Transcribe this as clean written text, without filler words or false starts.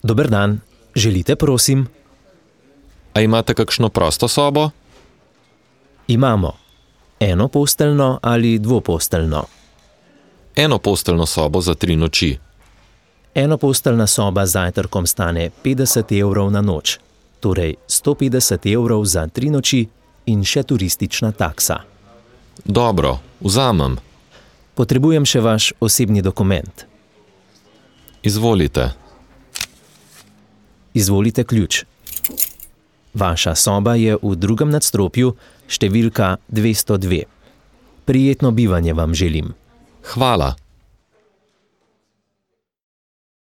Dober dan, želite, prosim? A imate kakšno prosto sobo? Imamo. Enoposteljno ali dvoposteljno? Enoposteljno sobo za 3 noči. Enoposteljna soba z zajtrkom stane 50 evrov na noč, torej 150 evrov za 3 noči in še turistična taksa. Dobro, vzamem. Potrebujem še vaš osebni dokument. Izvolite. Izvolite ključ. Vaša soba je v 2. nadstropju, številka 202. Prijetno bivanje vam želim. Hvala.